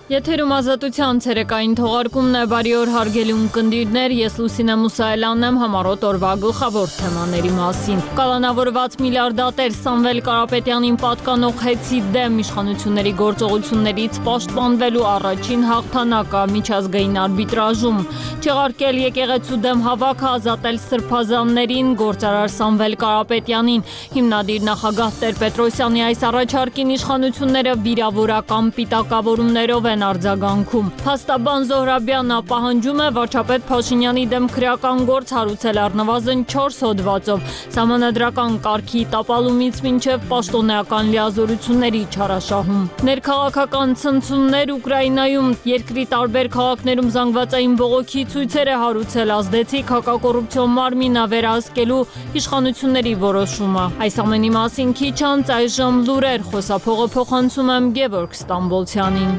Եթերում ազատության ցերեկային թողարկումն է, բարի օր հարգելի ունկնդիրներ, ես Լուսինե Մուսայելյանն եմ համառոտ օրվա գլխավոր թեմաների մասին։ Կալանավորված միլիարդատեր Սամվել Կարապետյանին պատկանող հեծի դեմ իշխանությունների գործողություններից պաշտպանվելու առաջին հաղթանակը միջազգային արբիտրաժում, չեղարկել եկեղեցու դեմ հավաքը, ազատել սրբազաններին, գործարար Սամվել Կարապետյանին, հիմնադիր նախագահ Տեր-Պետրոսյանի այս առաջարկին իշխանությունները վիրավորական պիտակավորումներով են արձագանքում։ Փաստաբան Զոհրաբյանը պահանջում է վարչապետ Փաշինյանի դեմ քրեական գործ հարուցել առնվազն 4 հոդվածով, սահմանադրական կարգի տապալումից մինչև պաշտոնեական լիազորությունների չարաշահում։ Ներքաղաքական ցնցումներ Ուկրաինայում, երկրի տարբեր քաղաքներում զանգվածային բողոքի ցույցեր է հարուցել ազդեցիկ հակակոռուպցիոն մարմինը վերահսկելու իշխանությունների որոշումը։ Այս ամենի մասին քիչ անց այժմ լուրեր, խոսափողը փոխանցում եմ Գևորգ Ստամբոլցյանին։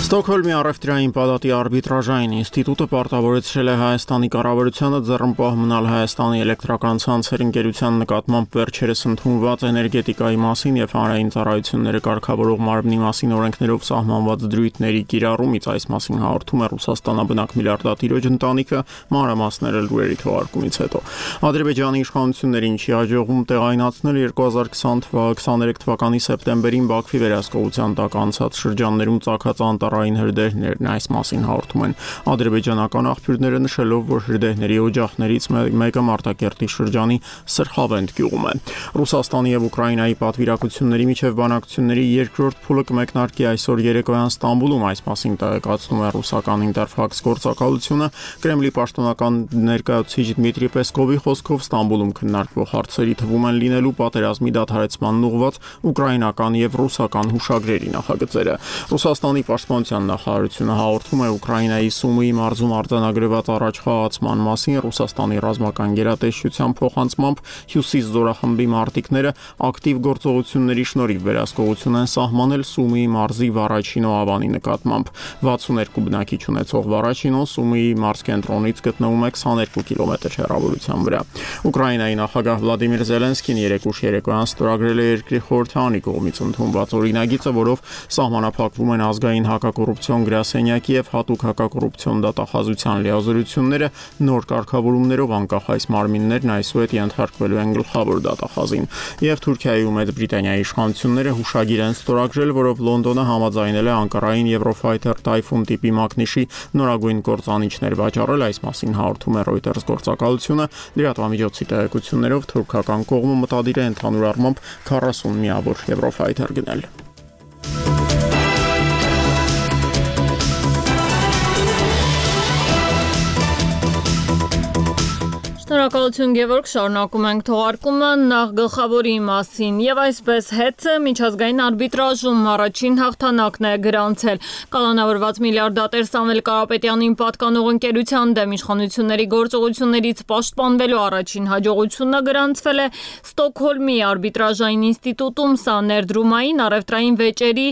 Ստոկհոլմի առևտրային պալատի արբիտրաժային ինստիտուտը պարտավորեցրել է Հայաստանի կառավարությանը ձեռնպահ մնալ Հայաստանի էլեկտրական ցանցեր ընկերության նկատմամբ վերջերս ընդունված էներգետիկայի մասին եւ հանրային ծառայությունները կարգավորող մարմնի մասին օրենքներով սահմանված դրույթների կիրառումից։ Այս մասին հաղորդում է Ռուսաստանաբնակ միլիարդատիրոջ ընտանիքը, մանրամասները լուրերի թողարկումից հետո։ Ադրբեջանի իշխանություններին չի հաջողվում տեղայնացնել 2023 թվականի սեպտեմբերին Բաքվի վերահսկողության տակ անցած շրջաններում ծագած անտառային հրդեհներն, այս մասին հաղորդում են ադրբեջանական աղբյուրները, նշելով, որ հրդեհների օջախներից մեկը Մարտակերտի շրջանի Սրխավենդ գյուղում է։ Ռուսաստանի եւ Ուկրաինայի պատվիրակությունների միջև բանակցությունների երկրորդ փուլը կմեկնարկի այսօր երեկոյան Ստամբուլում, այս մասին տեղեկացնում է ռուսական Ինտերֆաքս գործակալությունը։ Կրեմլի պաշտոնական ներկայացուցիչ Դմիտրի Պեսկովի խոսքով Ստամբուլում քննարկվող հարցերի թվում են լինելու պատերազմի դադարեցմանն ուղղված ուկրաինական եւ ռուսական հուշագրերի նախագծերը։ Ռուսաստանի պաշտպանության նախարարությունը հաղորդում է Ուկրաինայի Սումիի մարզում արձանագրված առաջխաղացման մասին։ Ռուսաստանի ռազմական գերատեսչության փոխանցմամբ Հյուսիս զորախմբի մարտիկները ակտիվ գործողությունների շնորհիվ վերահսկողություն են սահմանել Սումիի մարզի Վարաչինո ավանի նկատմամբ։ 62 բնակիչ ունեցող Վարաչինոն Սումիի մարզկենտրոնից գտնվում է 22 կիլոմետր հեռավորության վրա։ Ուկրաինայի նախագահ Վլադիմիր Զելենսկին երեկուշ երեկոյան ստորագրել է երկրի խորհրդարանի կողմից ընդունված օրինագիծը, որով սահմանափակվում են ազգային հակակոռուպցիոն գրասենյակի եւ հատուկ հակակոռուպցիոն դատախազության լիազորությունները, նոր կարգավորումներով անկախ այս մարմիններն այսուհետ ենթարկվելու են գլխավոր դատախազին։ Եվ Թուրքիայի ու Մեծ Բրիտանիայի իշխանությունները հուշագիր են ստորագրել, որով Լոնդոնը համաձայնել է Անկարային Eurofighter Typhoon տիպի մակնիշի նորագույն կործանիչներ վաճառել, այս մասին հաղորդում է Reuters գործակալությունը։ Լրատվամիջոցի տեղեկություններով թուրքական կողմը մտադիր է ընդհանուր առմամբ 40 միավոր Eurofighter գնել։ Շնորհակալություն Գևորգ, շարունակում ենք թողարկումը նախ գլխավորի մասին եւ այսպես հեծը միջազգային արբիտրաժում առաջին հաղթանակն է գրանցել։ Կալանավորված միլիարդատեր Սամվել Կարապետյանին պատկանող ընկերության դեմ իշխանությունների գործողություններից պաշտպանվելու առաջին հաջողությունը գրանցվել է Ստոկհոլմի արբիտրաժային ինստիտուտում։ Սա ներդրումային առևտրային վեճերի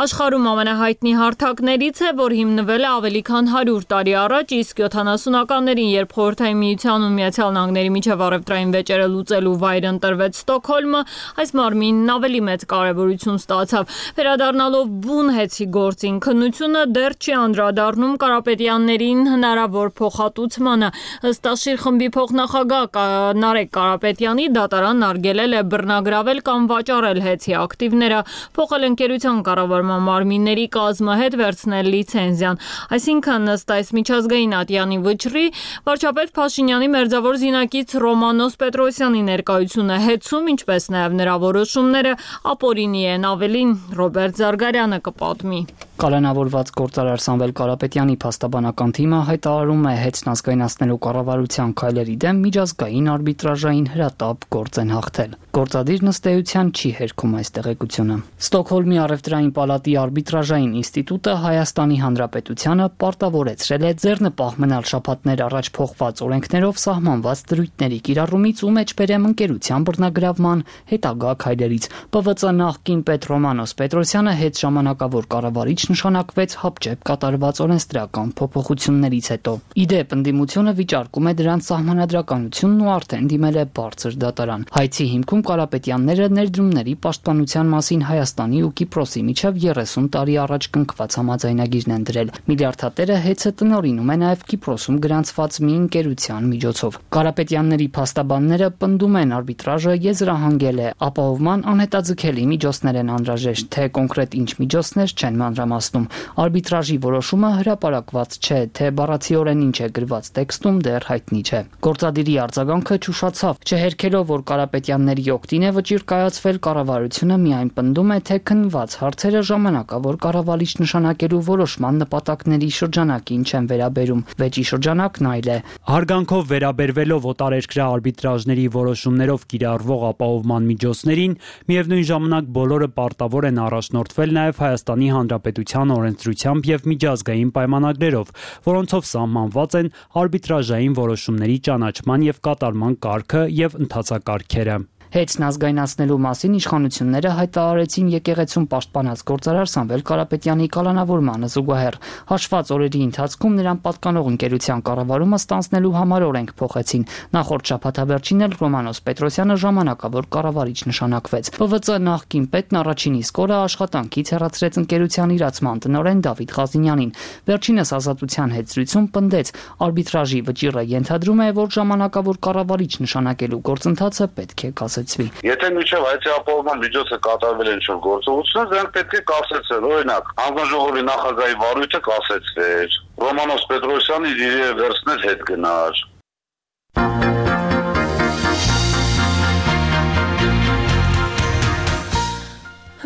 աշխարհում ամենահայտնի հարթակներից է, որ հիմնվել է ավելի քան 100 տարի առաջ, իսկ 70-ականներին, երբ Խորհրդային Միությանն ու Միացյալ Նահանգների միջև առևտրային վեճերը լուծելու վայր ընտրվեց Ստոկհոլմը, այս մարմինն ավելի մեծ կարևորություն ստացավ։ Վերադառնալով բուն հեծի գործին, քննությունը դեռ չի անդրադառնում Կարապետյաններին հնարավոր փոխհատուցմանը։ Ըստ Աշիր խմբի փոխնախագահ Նարեկ Կարապետյանի, դատարանն արգելել է բռնագրավել կամ վաճառել հեծի ակտիվները, փոխել ընկերության կառավարման մարմինների կազմը, հետ վերցնել լիցենզիան։ Այսինքն, ըստ այս միջազգային ատյանի վճռի, վարչապետ Փաշինյանի մերձավոր զինակից Ռոմանոս Պետրոսյանի ներկայությունը հեծում, ինչպես նաև նրա որոշումները ապօրինի են, ավելին Ռոբերտ Զարգարյանը կպատմի։ Կալանավորված գործարար Սամվել Կարապետյանի փաստաբանական թիմը հայտարարում է հեծն ազգայնացնելու կառավարության քայլերի դեմ միջազգային արբիտրաժային հրատապ գործ են հաղթել։ Գործադիրն ըստ էության չի հերքում այս տեղեկությունը։ Ստոկհոլմի առևտրային պալատի արբիտրաժային ինստիտուտը Հայաստանի Հանրապետությանը պարտավորեցրել է ձեռնպահ մնալ շաբաթներ առաջ փոխված օրենքներով սահմանված կատարած դրույթների կիրառումից ու մեջբերեմ ընկերության բռնագրավման հետագա քայլերից։ ՊՎԾ նախկին պետ Ռոմանոս Պետրոսյանը հետ ժամանակավոր կառավարիչ նշանակվեց հապճեպ կատարված օրենսդրական փոփոխություններից հետո։ Իդեպ ընդդիմությունը վիճարկում է դրանց սահմանադրականությունն ու արդեն դիմել է բարձր դատարան։ Հայցի հիմքում Կարապետյանները ներդրումների պաշտպանության մասին Հայաստանի ու Կիպրոսի միջև 30 տարի առաջ կնքված համաձայնագիրն են դրել։ Միլիարդատերը հեծը տնօրինում է նաև Կիպրոսում գրանցված մի ընկերության միջոցով։ Կարապետյանների փաստաբանները պնդում են արբիտրաժը եզրահանգել է, ապահովման անհետաձգելի միջոցներ են անհրաժեշտ, թե կոնկրետ ինչ միջոցներ չեն մանրամասնում։ Արբիտրաժի որոշումը հրապարակված չէ, թե բառացիորեն ինչ է գրված տեքստում դեռ հայտնի չէ։ Գործադիրի արձագանքը ճուշացավ, չհերքելով, որ Կարապետյանների օգտին է վճիռ կայացվել, կառավարությունը միայն պնդում է, թե քննված հարցերը ժամանակավոր կառավարիչ նշանակելու որոշման նպատակների շրջանակին չեն վերաբերում։ Վեճի շրջանակն այլ է։ Հարգանքով վերաբերվելով օտարերկրյա արբիտրաժների որոշումներով կիրառվող ապահովման միջոցներին, միևնույն ժամանակ բոլորը պարտավոր են առաջնորդվել նաև Հայաստանի Հանրապետության օրենսդրությամբ եւ միջազգային պայմանագրերով, որոնցով սահմանված են արբիտրաժային որոշումների ճանաչման եւ կատարման կարգը եւ ընթացակարգերը։ Հեծն ազգայնացնելու մասին իշխանությունները հայտարարեցին եկեղեցում պաշտպանած գործարար Սամվել Կարապետյանի կալանավորմանը զուգահեռ։ Հաշված օրերի ընթացքում նրան պատկանող ընկերության կառավարումը ստանձնելու համար օրենք փոխեցին։ Նախորդ շաբաթավերջին էլ Ռոմանոս Պետրոսյանը ժամանակավոր կառավարիչ նշանակվեց։ ՊՎԾ նախկին պետն առաջին իսկ օրը աշխատանքից հեռացրեց ընկերության իրացման տնօրեն Դավիթ Ղազինյանին։ Վերջինս Ազատության հետ զրույցում պնդեց, արբիտրաժի վճիռը ենթադրում է, որ ժամանակավոր կառավարիչ նշանակելու գործընթացը պետք է կասեցվի։ Եթե միջև հայցի ապահովման միջոցը կատարվել են ինչ-որ գործողություններ, դրանք պետք է կասեցվեն։ Օրինակ, հանձնաժողովի նախագահի վարույթը կասեցվեր, Ռոմանոս Պետրոսյանը իր վերցնել հետ գնար։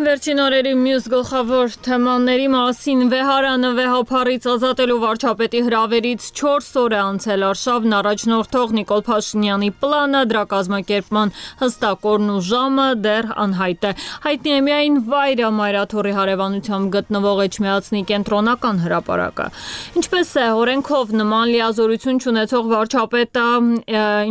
Վերջին օրերի մյուս գլխավոր թեմաների մասին վեհարանը վեհափառից ազատելու վարչապետի հրավերից 4 օր է անցել արշավն առաջնորդող Նիկոլ Փաշինյանի պլանը, դրա կազմակերպման հստակ օրն ու ժամը դեռ անհայտ է։ Հայտնի է միայն վայրը Մայրաթորի հարևանությամբ գտնվող Էջմիածնի կենտրոնական հրապարակը։ Ինչպես է օրենքով նման լիազորություն չունեցող վարչապետը,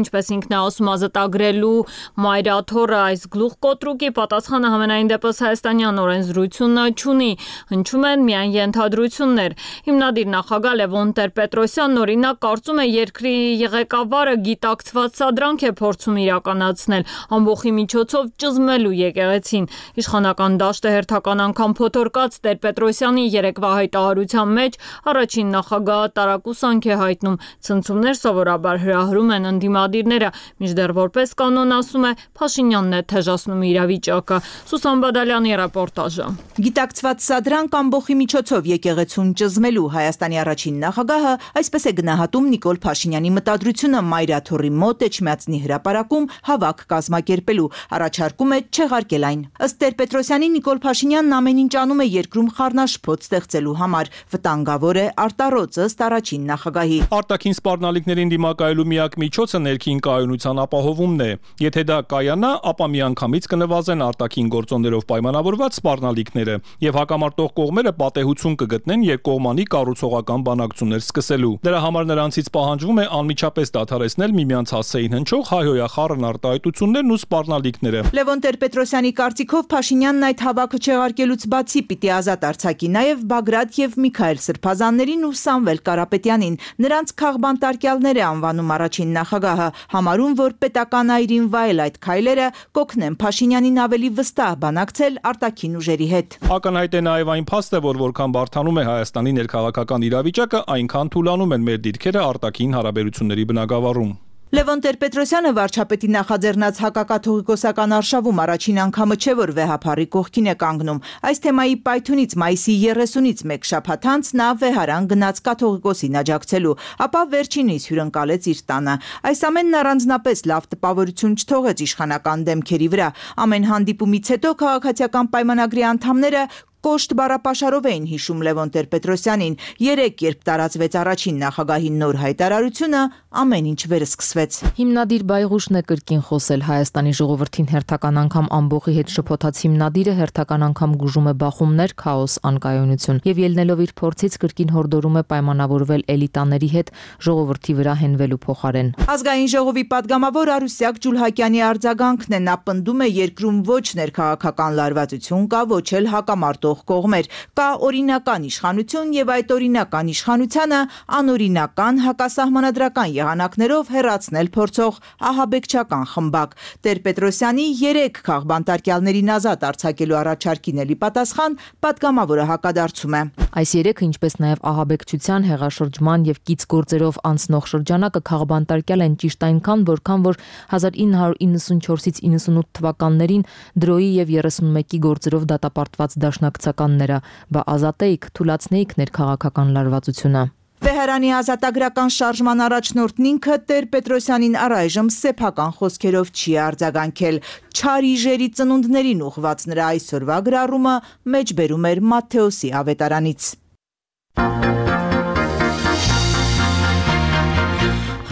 ինչպես ինքն է ասում, ազատագրելու Մայրաթորը այս գլուխկոտրուկի պատասխանը համենայն դեպս Հայաստանյան օրենսդրությունը չունի, հնչում են միայն ենթադրություններ։ Հիմնադիր նախագահ Լևոն Տեր-Պետրոսյանն օրինակ կարծում է երկրի ղեկավարը գիտակցված սադրանք է փորձում իրականացնել ամբոխի միջոցով ճզմելու եկեղեցին։ Իշխանական դաշտը հերթական անգամ փոթորկած Տեր-Պետրոսյանի երեկվա հայտարարության մեջ առաջին նախագահը տարակուսանք է հայտնում։ Ցնցումներ սովորաբար հրահրում են ընդդիմադիրները, մինչդեռ որպես կանոն ասում է Փաշինյանն է թեժացնում իրավիճակը։ Սուսան Բադալյանի ռեպորտաժը։ Գիտակցված սադրանք ամբոխի միջոցով եկեղեցուն ճզմելու Հայաստանի առաջին նախագահը այսպես է գնահատում Նիկոլ Փաշինյանի մտադրությունը Մայրաթորի մոտ Էջմիածնի հրապարակում հավաք կազմակերպելու, առաջարկում է չեղարկել այն։ Ըստ Տեր-Պետրոսյանի Նիկոլ Փաշինյանն ամեն ինչ անում է երկրում խառնաշփոթ ստեղծելու համար, վտանգավոր է արտառոց ըստ առաջին նախագահի։ Արտաքին սպառնալիքներին դիմակայելու միակ միջոցը ներքին կայունության ապահովումն է։ Եթե դա կայանա, ապա միանգամից կնվազեն արտաքին գործոններով պայմանավորված սպառնալիքները եւ հակամարտող կողմերը պատեհություն կգտնեն երկկողմանի կառուցողական բանակցություններ սկսելու։ Դրա համար նրանցից պահանջվում է անմիջապես դադարեցնել միմյանց հասցեին հնչող հայհոյախառն արտահայտություններն ու սպառնալիքները։ Լևոն Տեր-Պետրոսյանի կարծիքով Փաշինյանն այդ հավաքը չեղարկելուց բացի պիտի ազատ արձակի նաեւ Բագրատ եւ Միքայել Սրբազաններին ու Սամվել Կարապետյանին։ Նրանց քաղբանտարկյալներ է անվանում առաջին նախագահը, համարում, որ պետական այրին վայել այդ քայլերը կօգնեն Փաշինյանին ավելի վստահ բանակցել արտաքին ուժերի հետ։ Ակնհայտ է նաև այն փաստը, որ որքան բարդանում է Հայաստանի ներքաղաքական իրավիճակը, այնքան թուլանում են մեր դիրքերը արտաքին հարաբերությունների բնագավառում։ Լևոն Տեր-Պետրոսյանը վարչապետի նախաձեռնած հակակաթողիկոսական արշավում առաջին անգամը չէ, որ վեհափառի կողքին է կանգնում։ Այս թեմայի պայթունից մայիսի 30-ից մեկ շաբաթ անց նա վեհարան գնաց կաթողիկոսին աջակցելու, ապա վերջինիս հյուրընկալեց իր տանը։ Այս ամենն առանձնապես լավ տպավորություն չթողեց իշխանական դեմքերի վրա։ Ամեն հանդիպումից հետո քաղաքացիական պայմանագրի անդամները կոշտ բառապաշարով էին հիշում Լևոն Տեր-Պետրոսյանին։ Երեկ, երբ տարածվեց առաջին նախագահի նոր հայտարարությունը, ամեն ինչ վերսկսվեց։ Հիմնադիր Բայղուշն է կրկին խոսել Հայաստանի ժողովրդին հերթական անգամ ամբողջի հետ շփոթած հիմնադիրը հերթական անգամ գուժում է բախումներ, քաոս, անկայունություն եւ ելնելով իր փորձից կրկին հորդորում է պայմանավորվել էլիտաների հետ ժողովրդի վրա հենվելու փոխարեն։ Ազգային ժողովի падգամավոր Արուսյակ Ջուլհակյանի արձագանքն է, նա պնդում է երկրում ոչ ներքաղաքական լարվածություն կա, ոչ էլ հակամարտող կողմեր, կա օրինական իշխանություն եւ այդ օրինական իշխանությանը անօրինական հակասահմանադրական եղանակներով հեռացնել փորձող ահաբեկչական խմբակ։ Տեր-Պետրոսյանի 3 քաղբանտարկյալներին ազատ արձակելու առաջարկին էլի պատասխան падգամավորը հակադարձում է։ Այս 3-ը, ինչպես նաև ահաբեկչության, հեղաշրջման եւ կից գործերով անցնող շրջանակը քաղբանտարկյալ են ճիշտ այնքան, որքան որ 1994-ից 98 թվականներին դրոյի եւ 31-ի գործերով դատապարտված դաշնակցականները, բա ազատեիք, թուլացնեիք ներքաղաքական լարվածությունը։ Վեհարանի ազատագրական շարժման առաջնորդն ինքը Տեր-Պետրոսյանին առայժմ սեփական խոսքերով չի արձագանքել։ Չարիժերի ծնունդներին ուղղված նրա այսօրվա գրառումը մեջբերում էր Մատթեոսի ավետարանից։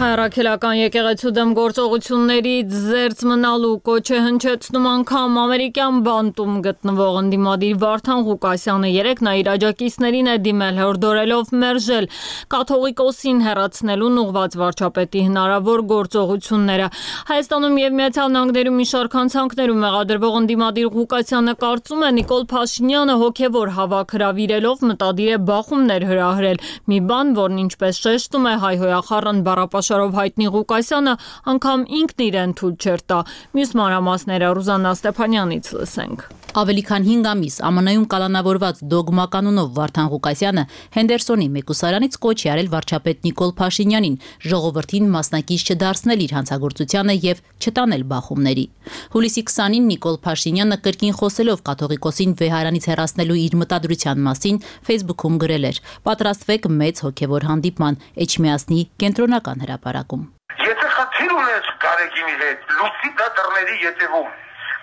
Հայրաքելական եկեղեցու դեմ գործողություններից զերծ մնալու կոչ է հնչեցնում անգամ ամերիկյան բանտում գտնվող ընդդիմադիր Վարդան Ղուկասյանը։ Երեկ նա իր աջակիցներին է դիմել հորդորելով մերժել կաթողիկոսին հեռացնելուն ուղղված վարչապետի հնարավոր գործողությունները։ Հայաստանում եւ Միացյալ Նահանգներում մի շարք հանցանքներում մեղադրվող ընդդիմադիր Ղուկասյանը կարծում է Նիկոլ Փաշինյանը հոգեվոր հավաք հրավիրելով մտադիր է բախումներ հրահրել։ Մի բան, որն ինչպես շեշտում է հայհոյախառն բառապաշարով հայտնի Ղուկասյանը, անգամ ինքն իրեն թույլ չէր տա։ Մյուս մանրամասները Ռուզաննա Ստեփանյանից լսենք։ Ավելի քան 5 ամիս ԱՄՆ-ում կալանավորված դոգմա կանոնով Վարդան Ղուկասյանը Հենդերսոնի մեկուսարանից կոչ է արել վարչապետ Նիկոլ Փաշինյանին ժողովրդին մասնակից չդարձնել իր հանցագործությանը եւ չտանել բախումների։ Հուլիսի 20-ին Նիկոլ Փաշինյանը կրկին խոսելով կաթողիկոսին Վեհարանից հեռացնելու իր մտադրության մասին Facebook-ում գրել էր. «Պատրաստվեք մեծ հոգեվոր հանդիպման Էջմիածնի կենտրոնական հրապարակում»։ Եթե խնդիր ունես Գարեգինի հետ, լուսի դա դռների ետևում։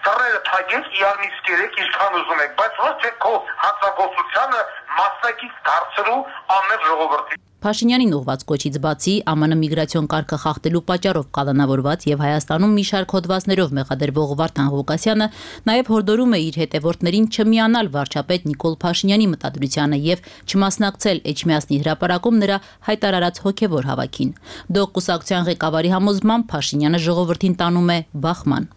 Դռները թագեք, իարմից կերեք, ինչքան ուզում եք, բայց ոչ թե քո հանցագործությանը մասնակից դարձրու ամեն ժողովրդի։ Փաշինյանին ուղված կոչից բացի ԱՄՆ միգրացիոն կարգը խախտելու պատճառով կալանավորված եւ Հայաստանում մի շարք հոդվածներով մեղադրվող Վարդան Ղուկասյանը նաեւ հորդորում է իր հետևորդներին չմիանալ վարչապետ Նիկոլ Փաշինյանի մտադրությանը եւ չմասնակցել Էջմիածնի հրապարակում նրա հայտարարած հոգեվոր հավաքին։ Դող կուսակցության ղեկավարի համոզմամբ Փաշինյանը ժողովրդին տանում է բախման։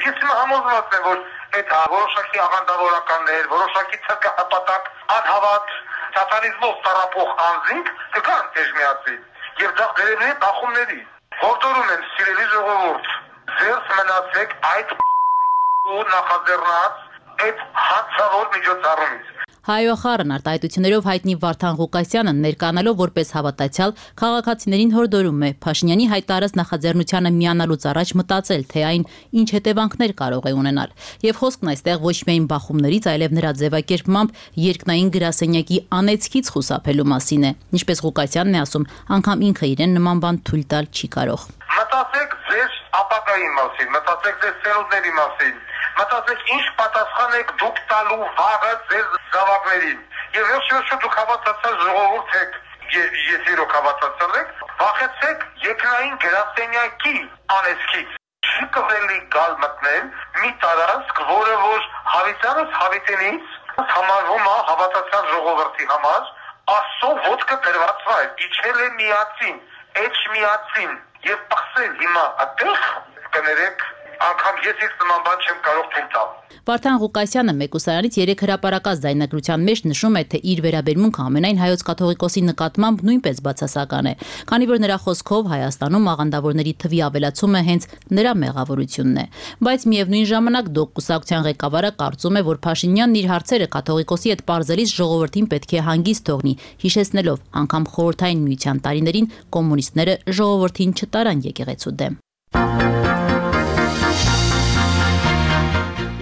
Ես համոզված եմ, որ այդ որոշակի աղանդավորականներ, որոշակի ցկահպատակ, անհավատ սատանիզմով տարապող անձինք կգան Էջմիածին եւ դա վերևի բախումների։ Հորդորում եմ սիրելի ժողովուրդ, ձերս մնացեք այդ ու նախաձեռնած այդ հանցավոր միջոցառումից։ Հայոյախառն արտահայտություններով հայտնի Վարդան Ղուկասյանը ներկայանալով որպես հավատացյալ քաղաքացիներին հորդորում է Փաշինյանի հայտարարած նախաձեռնությանը միանալուց առաջ մտածել, թե այն ինչ հետևանքներ կարող է ունենալ։ Եվ խոսքն այստեղ ոչ միայն բախումներից, այլև նրա ձևակերպմամբ երկնային գրասենյակի անեծքից խուսափելու մասին է։ Ինչպես Ղուկասյանն է ասում, անգամ ինքը իրեն նման բան թույլ տալ չի կարող։ Մտածեք ձեր ապագայի մասին, մտածեք ձեր սերունդների մասին, մտածեք ինչ պատասխան եք դուք տալու վաղը ձեր զավակներին։ Եվ վերջերս դուք հավատացած ժողովուրդ եք, ես իրոք հավատացած եք, վախեցեք երկնային գրասենյակի անեծքից։ Չի կողելի գալ մտնել մի տարածք, որը որ հավիտյանս հավիտենից համարվում է հավատացած ժողովրդի համար, Աստծո ոտքը դրված վայր, իջել է միածին, Էջմիածին եւ պղսել հիմա այդտեղ կներեք անգամ ես իսկ նման բան չեմ կարող թույլ տալ։ Վարդան Ղուկասյանը մեկուսարանից 3 հրապարակած ձայնագրության մեջ նշում է, թե իր վերաբերմունքը ամենայն հայոց կաթողիկոսի նկատմամբ նույնպես բացասական է, քանի որ նրա խոսքով Հայաստանում աղանդավորների թվի ավելացումը հենց նրա մեղավորությունն է։ Բայց միևնույն ժամանակ դող կուսակցության ղեկավարը կարծում է, որ Փաշինյանն իր հարցերը կաթողիկոսի հետ պարզելիս ժողովրդին պետք է հանգիստ թողնի, հիշեցնելով անգամ խորհրդային միության տարիներին կոմունիստները ժողովրդին չտարան եկեղեցու դեմ։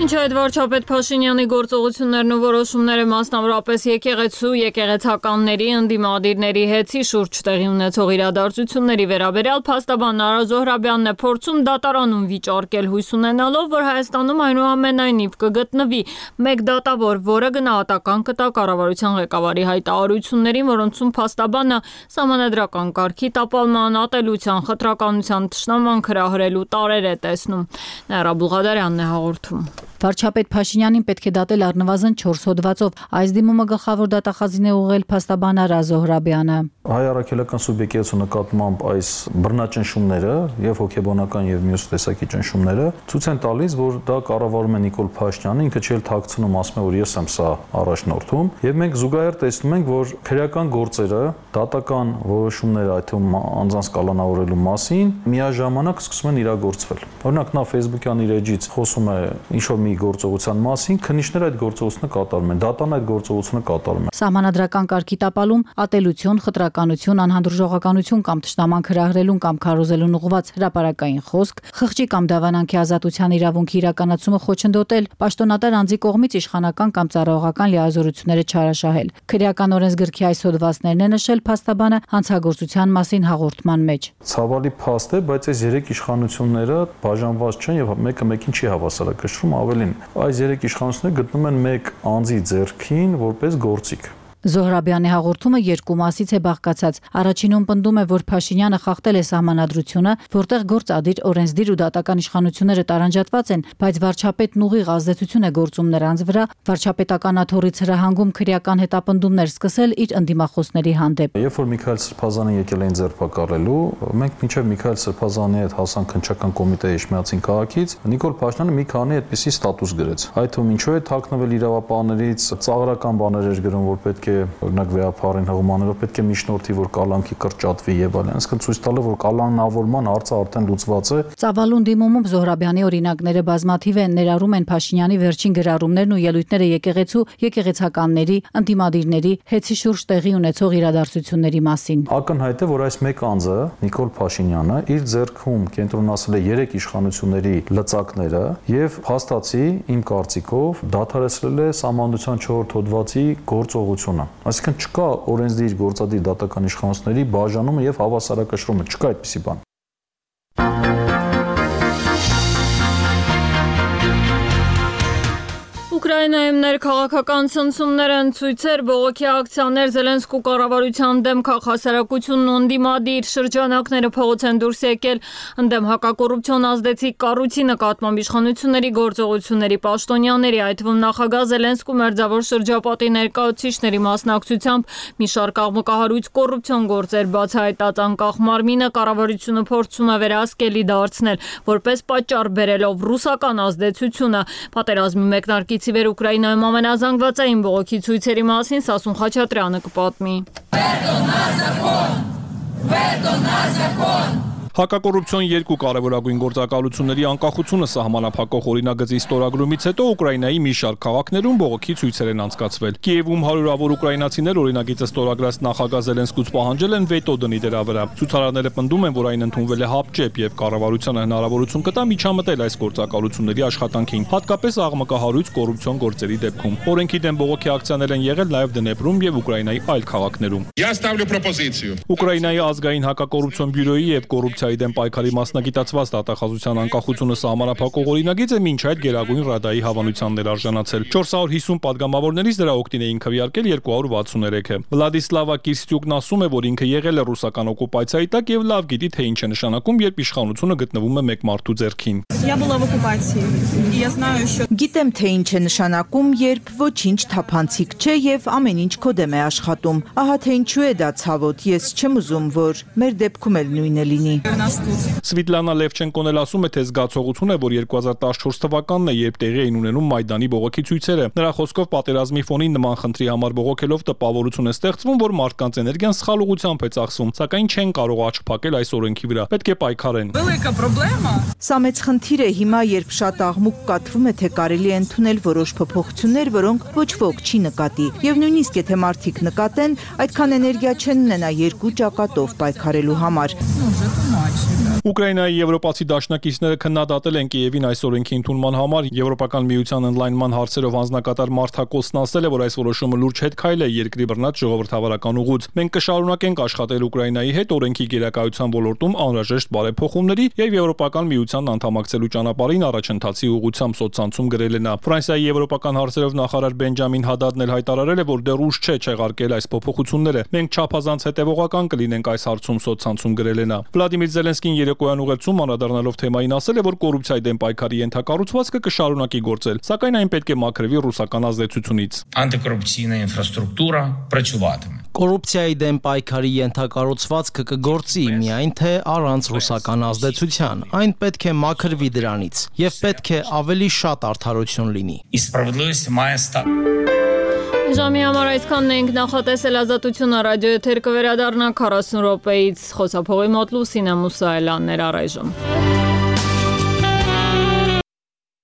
Ինչ այդ վարչապետ Փաշինյանի գործողություններն ու որոշումները մասնավորապես եկեղեցականների, ընդդիմադիրների հետի շուրջ տեղի ունեցող իրադարձությունների վերաբերյալ փաստաբան Արա Զոհրաբյանն է փորձում դատարանում վիճարկել հույս ունենալով, որ Հայաստանում այնուամենայնիվ կգտնվի մեկ դատավոր, որը գնահատական կտա կառավարության ղեկավարի հայտարարություններին, որոնցում փաստաբանը սահմանադրական կարգի տապալման, ատելության, խտրականության, թշնաման հրահրելու տարեր է տեսնում։ Նաիրա Բուղադարյանն է հաղորդում։ Վարչապետ Փաշինյանին պետք է դատել առնվազն 4 հոդվածով։ Այս դիմումը գլխավոր դատախազին է ուղղել փաստաբան Արա Զոհրաբյանը։ Հայ առաքելական սուբյեկտի նկատմամբ այս բռնաճնշումները եւ հոգեբանական եւ մյուս տեսակի ճնշումները ցույց են տալիս, որ դա կառավարում է Նիկոլ Փաշինյանը, ինքը չէ թաքցնում, ասում է, որ ես եմ սա առաջնորդում, եւ մենք զուգահեռ տեսնում ենք, որ քրեական գործերը, դատական որոշումները, այդ թվում անձանց կալանավորելու մասին միաժամանակ սկսում են իրագործվել։ Օրինակ նա Facebook-յան իր էջից խոսում է ինչ-որ մի գործողության մասին, քննիչները այդ գործողությունը կատարում են, դատան այդ գործողությունը կատարում է։ Սահմանադրական կարգի տապալում, ատելություն, խտրականություն, անհանդուրժողականություն կամ թշնաման հրահրելուն կամ քարոզելուն ուղղված հրապարակային խոսք, խղճի կամ դավանանքի ազատության իրավունքի իրականացումը խոչընդոտել, պաշտոնատար անձի կողմից իշխանական կամ ծառայողական լիազորությունները չարաշահել։ Քրեական օրենսգրքի այս հոդվածներն է նշել փաստաբանը հանցագործության մասին հաղորդման մեջ։ Ցավալի փաստ է, բայց այս երեք իշխանությունները բաժանված չեն եւ մեկը մեկին չի հավասարակշռում, ավելին այս երեք իշխանությունները գտնում են մեկ անձի ձեռքին որպես գործիք։ Զոհրաբյանի հաղորդումը երկու մասից է բաղկացած։ Առաջինում պնդում է, որ Փաշինյանը խախտել է սահմանադրությունը, որտեղ գործադիր, օրենսդիր ու դատական իշխանությունները տարանջատված են, բայց վարչապետն ուղիղ ազդեցություն է գործում նրանց վրա, վարչապետական աթոռից հրահանգում քրեական հետապնդումներ սկսել իր ընդդիմախոսների հանդեպ։ Երբ որ Միքայել Սրբազանին եկել էին ձերբակալելու, մենք մինչև Միքայել Սրբազանի հետ հասանք քննչական կոմիտեի Իշխմիածին քաղաքից, Նիկոլ Փաշինյանը մի քանի այդպիսի ստատուս գրեց։ Այդ թվում ինչու է թաքնվել իրավապահներից, ծաղրական բաներ էր գրում, որ պետք է օրինակ վեհապարին հղումաներով պետք է միջնորդի, որ կալանքի կրճատվի եւ այլն, այսինքն ցույց տալը, որ կալանավորման հարցը արդեն լուծված է։ Ծավալուն դիմումում Զոհրաբյանի օրինակները բազմաթիվ են, ներառում են Փաշինյանի վերջին գրառումներն ու ելույթները եկեղեցու, եկեղեցականների, ընդդիմադիրների, հետի շուրջ տեղի ունեցող իրադարձությունների մասին։ Ակնհայտ է, որ այս մեկ անձը, Նիկոլ Փաշինյանը, իր ձեռքում կենտրոնացել է 3 իշխանությունների լծակները եւ փաստացի, իմ կարծիքով, դադարեցրել է Սահմանադրության 4 հոդվածի գործողությունը։ Այսինքն չկա օրենսդիր գործադիր դատական իշխանությունների բաժանումը եւ հավասարակշռումը, չկա այդպիսի բան։ Ուկրաինայում ներքաղաքական ցնցումներ են, ցույցեր, բողոքի ակցիաներ, Զելենսկու կառավարության դեմ քաղաքասարակությունն ու ընդդիմադիր շրջանակները փողոց են դուրս եկել, ընդդեմ հակակոռուպցիոն ազդեցիկ կառույցի նկատմամբ իշխանությունների գործողությունների պաշտոնյաների, այդ թվում նախագահ Զելենսկու մերձավոր շրջապատի ներկայացուցիչների մասնակցությամբ մի շարք աղմկահարույց կոռուպցիոն գործեր բացահայտած անկախ մարմինը կառավարությունը փորձում է վերահսկելի դարձնել, որպես պատճառ բերելով ռուսական ազդեցությունը, պատերազմի մեկնարկից վեր Ուկրաինայում ամենազանգվածային բողոքի ցույցերի մասին Սասուն Խաչատրյանը կպատմի։ Հակակոռուպցիոն երկու կարևորագույն գործակալությունների անկախությունը սահմանափակող օրինագծի ստորագրումից հետո Ուկրաինայի մի շարք քաղաքներում բողոքի ցույցեր են անցկացվել։ Կիևում հարյուրավոր ուկրաինացիներ օրինագիծը ստորագրած նախագահ Զելենսկուց պահանջել են վետո դնի դրա վրա։ Ցուցարարները պնդում են, որ այն ընդունվել է հապճեպ եւ կառավարությանը հնարավորություն կտա միջամտել այս գործակալությունների աշխատանքին, հատկապես աղմկահարույց կոռուպցիոն գործերի դեպքում։ Օրենքի դեմ բողոքի ակցիաներ են եղել նաեւ Դնեպրում եւ Ուկրաինայի այլ քաղաքներում։ Ուկրաինայի ազգային հակակոռուպցիոն բյուրոյի եւ կոռուպցիայի դեմ պայքարի մասնագիտացված դատախազության անկախությունը սահմանափակող օրինագիծը մինչ այդ Գերագույն Ռադայի հավանությանն էր արժանացել։ 450 падգամավորներից դրա օգտին էին քվեարկել 263-ը։ Վլադիսլավա Կիրստյուկն ասում է, որ ինքը եղել է ռուսական օկուպացիայի տակ եւ լավ գիտի, թե ինչ է նշանակում, երբ իշխանությունը գտնվում է մեկ մարդու ձեռքին։ Գիտեմ, թե ինչ է նշանակում, երբ ոչինչ թափանցիկ չէ եւ ամեն ինչ քո դեմ է աշխատում։ Ահա թե ինչու է դա ցավոտ, ես չեմ ուզում, որ մեր դեպքում էլ նույնը լինի։ Սվիտլանա Լևչենկոն էլ ասում է, թե զգացողություն է, որ 2014 թվականն է, երբ տեղի էին ունենում Մայդանի բողոքի ցույցերը։ Նրա խոսքով պատերազմի ֆոնին նման խնդրի համար բողոքելով տպավորություն է ստեղծվում, որ մարդկանց էներգիան սխալ ուղղությամբ է ծախսում, սակայն չեն կարող աչք փակել այս օրենքի վրա։ Պետք է պայքարեն։ Սա մեծ խնդիր է հիմա, երբ շատ աղմուկ կատվում է, թե կարելի է ընդունել որոշ փոփոխություններ, որոնք ոչ ոք չի նկատի։ Եվ նույնիսկ եթե մարդիկ նկատեն, այդքան էներգիա չեն ունենա երկու ճակատով պայքարելու համար։ Ուկրաինայի եվրոպացի դաշնակիցները քննադատել են Կիևին այս օրենքի ընդունման համար։ Եվրոպական միության ընդլայնման հարցերով անձնակատար Մարթա Կոսն ասել է, որ այս որոշումը լուրջ հետքայլ է երկրի բռնած ժողովրդավարական ուղուց։ Մենք կշարունակենք աշխատել Ուկրաինայի հետ օրենքի գերակայության ոլորտում անհրաժեշտ բարեփոխումների եւ Եվրոպական միությանն անդամակցելու ճանապարհին առաջընթացի ուղղությամբ սոցցանցում գրել է նա։ Ֆրանսիայի եվրոպական հարցերով նախարար Բենջամին Հադադն էլ հայտարարել է, որ դեռ ուշ չէ չեղարկել այս փոփոխությունները։ Մենք չափազանց հետևողական կլինենք այս հարցում սոցցանցում գրել է նա։ Վլադիմիր Զելենսկին երեկոյան ուղերձում անդրադառնալով թեմային ասել է, որ կոռուպցիայի դեմ պայքարի ենթակառուցվածքը կշարունակի գործել, սակայն այն պետք է մաքրվի ռուսական ազդեցությունից։ Антикорупційна інфраструктура працюватиме. Կոռուպցիայի դեմ պայքարի ենթակառուցվածքը կգործի, միայն թե առանց ռուսական ազդեցության։ Այն պետք է մաքրվի դրանից եւ պետք է ավելի շատ արդարություն լինի։ І справедливість має стати. Ժամի համար այսքանն ենք նախատեսել Ազատությունը ռադիոեթեր կվերադառնա 40 րոպեից խոսափողի մոտ Լուսինե Մուսայելյաններ առայժմ։